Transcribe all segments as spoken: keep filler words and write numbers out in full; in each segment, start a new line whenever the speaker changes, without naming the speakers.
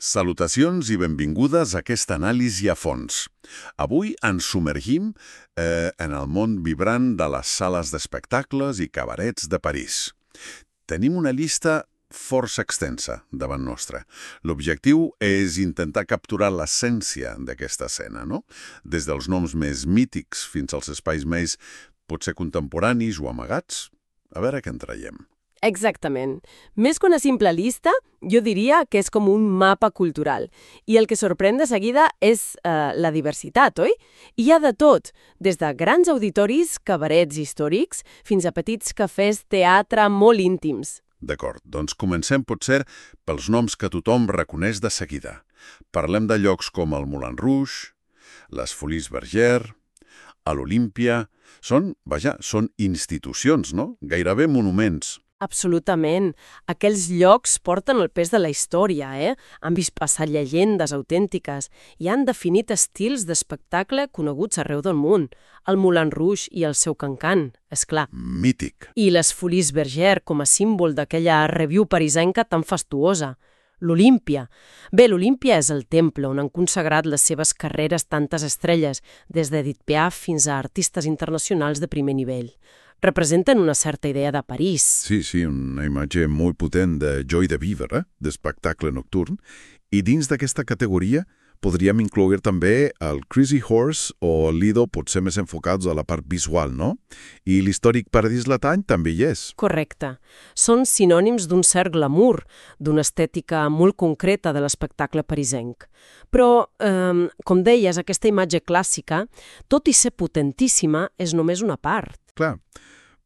Salutacions i benvingudes a aquesta anàlisi a fons. Avui ens submergim eh, en el món vibrant de les sales d'espectacles i cabarets de París. Tenim una llista força extensa davant nostra. L'objectiu és intentar capturar l'essència d'aquesta escena, no? Des dels noms més mítics fins als espais més potser contemporanis o amagats. A veure què en traiem.
Exactament. Més que una simple llista, jo diria que és com un mapa cultural. I el que sorprèn de seguida és eh, la diversitat, oi? Hi ha de tot, des de grans auditoris, cabarets històrics, fins a petits cafès teatre molt íntims.
D'acord, doncs comencem potser pels noms que tothom reconeix de seguida. Parlem de llocs com el Moulin Rouge, les Folies Bergère, a l'Olímpia. Són, vaja, són institucions, no? Gairebé monuments.
Absolutament. Aquells llocs porten el pes de la història, eh? Han vist passar llegendes autèntiques i han definit estils d'espectacle coneguts arreu del món. El Moulin Rouge i el seu cancan, és clar.
Mític.
I les Folies Bergère com a símbol d'aquella review parisenca tan fastuosa. L'Olímpia. Bé, l'Olímpia és el temple on han consagrat les seves carreres tantes estrelles, des d'Edith Piaf fins a artistes internacionals de primer nivell. Representen una certa idea de París.
Sí, sí, una imatge molt potent de joy de vivre, eh? D'espectacle nocturn. I dins d'aquesta categoria podríem incloure també el Crazy Horse o el Lido, potser més enfocats a la part visual, no? I l'històric Paradís Latany també hi és.
Correcte. Són sinònims d'un cert glamour, d'una estètica molt concreta de l'espectacle parisenc. Però, eh, com deies, aquesta imatge clàssica, tot i ser potentíssima, és només una part.
Clar,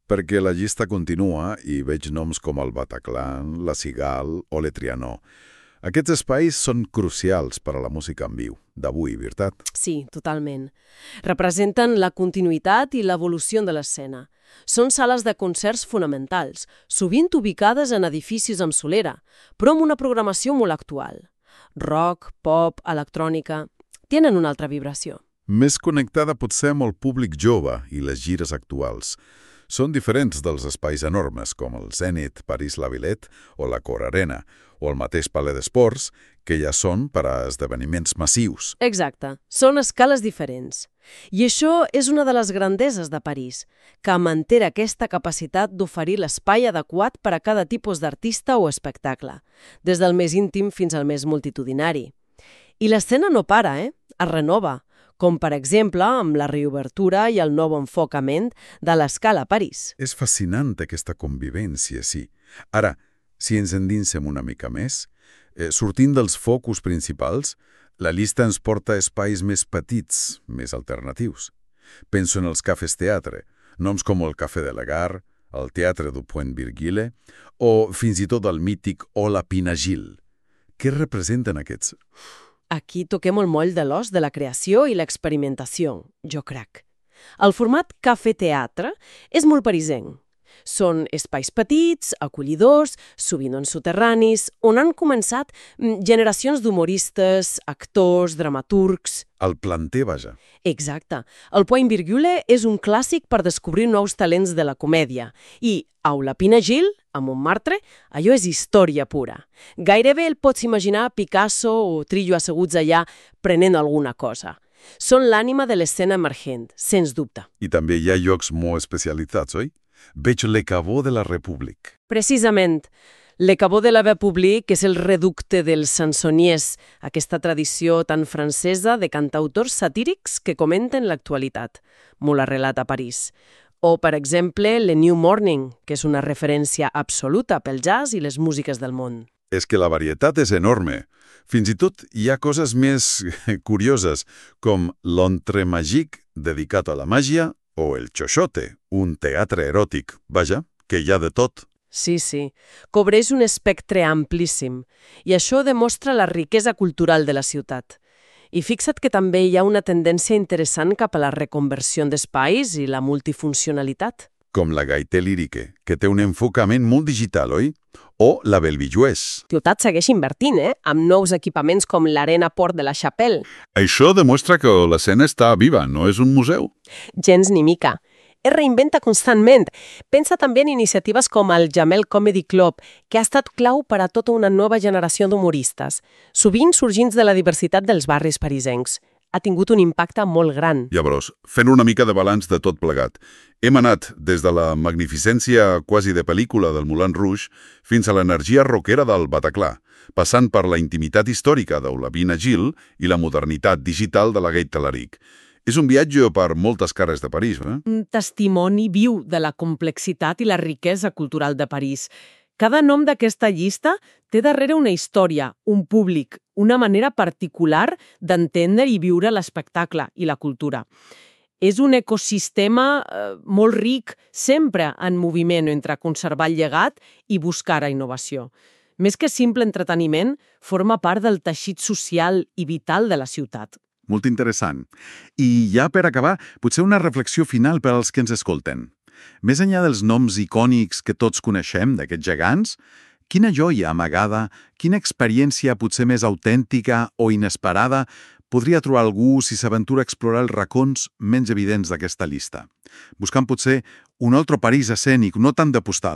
perquè la llista continua i veig noms com el Bataclan, la Cigale o le Trianon. Aquests espais són crucials per a la música en viu, d'avui, veritat?
Sí, totalment. Representen la continuïtat i l'evolució de l'escena. Són sales de concerts fonamentals, sovint ubicades en edificis amb solera, però amb una programació molt actual. Rock, pop, electrònica... tenen una altra vibració.
Més connectada potser amb el públic jove i les gires actuals. Són diferents dels espais enormes com el Zénith, París-La Villette o la Cor Arena, o el mateix Palais d'Esports, que ja són per a esdeveniments massius.
Exacte, són escales diferents. I això és una de les grandeses de París, que manté aquesta capacitat d'oferir l'espai adequat per a cada tipus d'artista o espectacle, des del més íntim fins al més multitudinari. I l'escena no para, eh? Es renova, com per exemple amb la reobertura i el nou enfocament de l'Escala a París.
És fascinant aquesta convivència, sí. Ara, si ens endinsem una mica més, eh, sortint dels focus principals, la llista ens porta a espais més petits, més alternatius. Penso en els cafès teatre, noms com el Café de la Gare, el Teatre du Point Virgile o fins i tot el mític Hola Pinagil. Què representen aquests?
Aquí toquem el moll de l'os de la creació i l'experimentació, jo crec. El format cafè-teatre és molt parisenc. Són espais petits, acollidors, sovint en soterranis, on han començat generacions d'humoristes, actors, dramaturgs...
El planter, vaja.
Exacte. El Point Virgule és un clàssic per descobrir nous talents de la comèdia. I Aula Pinagil, a Montmartre, allò és història pura. Gairebé el pots imaginar Picasso o Trillo asseguts allà prenent alguna cosa. Són l'ànima de l'escena emergent, sens dubte.
I també hi ha llocs molt especialitzats, oi? Veig Le Caveau de la République.
Precisament. Le Caveau de la République és el reducte dels chansonniers, aquesta tradició tan francesa de cantautors satírics que comenten l'actualitat, molt arrelat a París. O, per exemple, Le New Morning, que és una referència absoluta pel jazz i les músiques del món.
És que la varietat és enorme. Fins i tot hi ha coses més curioses, com l'Entrée Magique, dedicat a la màgia, o el Xoxote, un teatre eròtic. Vaja, que hi ha de tot.
Sí, sí. Cobreix un espectre amplíssim. I això demostra la riquesa cultural de la ciutat. I fixa't que també hi ha una tendència interessant cap a la reconversió d'espais i la multifuncionalitat.
Com la Gaieté Lyrique, que té un enfocament molt digital, oi? O la Belvijuès.
Ciutat segueix invertint, eh? Amb nous equipaments com l'Arena Port de la Chapelle.
Això demostra que l'escena està viva, no és un museu.
Gens ni mica. es reinventa constantment. Pensa també en iniciatives com el Jamel Comedy Club, que ha estat clau per a tota una nova generació d'humoristes, sovint sorgint de la diversitat dels barris parisencs. Ha tingut un impacte molt gran.
Llavors, fent una mica de balanç de tot plegat, hem anat des de la magnificència quasi de pel·lícula del Moulin Rouge fins a l'energia rockera del Bataclan, passant per la intimitat històrica d'Olavina Gil i la modernitat digital de la Gate Talaric. És un viatge per moltes carrers de París, eh?
Un testimoni viu de la complexitat i la riquesa cultural de París. Cada nom d'aquesta llista té darrere una història, un públic, una manera particular d'entendre i viure l'espectacle i la cultura. És un ecosistema eh, molt ric, sempre en moviment entre conservar el llegat i buscar a innovació. Més que simple entreteniment, forma part del teixit social i vital de la ciutat.
Molt interessant. I ja per acabar, potser una reflexió final per als que ens escolten. Més enllà dels noms icònics que tots coneixem d'aquests gegants, quina joia amagada, quina experiència potser més autèntica o inesperada podria trobar algú si s'aventura a explorar els racons menys evidents d'aquesta llista, buscant potser un altre París escènic, no tant de postal,